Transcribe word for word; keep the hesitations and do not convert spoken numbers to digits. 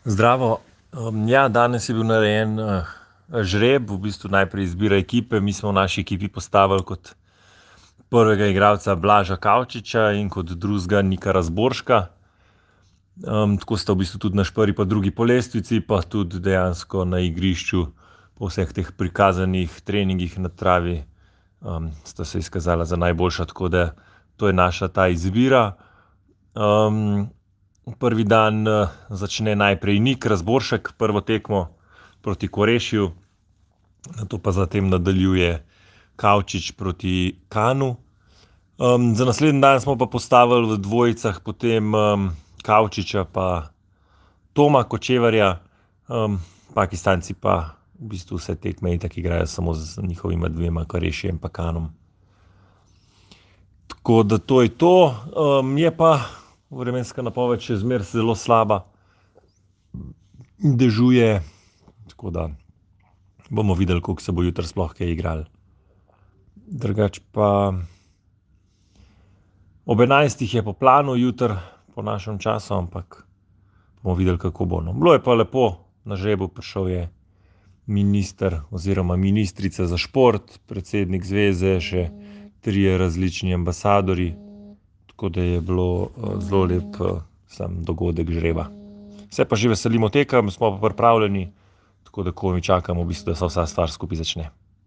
Zdravo. Um, ja, danes je bil narejen uh, žreb, v bistvu najprej izbira ekipe. Mi smo v naši ekipi postavili kot prvega igralca Blaža Kavčiča in kot drugega Nika Razborška. Um, tako sta v bistvu tudi naš prvi pa drugi po lestvici, pa tudi dejansko na igrišču po vseh teh prikazanih treningih na travi um, sta se izkazala za najboljša, tako da to je naša ta izbira. Um, Prvi dan uh, začne najprej Nik Razboršek, prvo tekmo proti Korešju, nato pa zatem nadaljuje Kavčič proti Kanu. Um, za naslednji dan smo pa postavili v dvojicah potem um, Kavčiča pa Toma Kočevarja. Um, Pakistanci pa v bistvu vse tekme itak igrajo samo z njihovima dvema, Korešjem pa Kanom. Tako da to je to. Um, je pa vremenska napoved še zmeraj zelo slaba, dežuje, tako da bomo videli, koliko se bo jutri sploh kaj igralo. Drugače pa ob enajstih je po planu jutri, po našem času, ampak bomo videli, kako bo. No, bilo je pa lepo, na žrebu prišel je minister oziroma ministrica za šport, predsednik zveze, še trije različni ambasadorji. Tako da je bilo uh, zelo lep uh, sam dogodek žreba. Se pa že veselimo tekem, smo pa pripravljeni, tako da komaj čakamo, v bistvu, da se vsa stvar skupaj začne.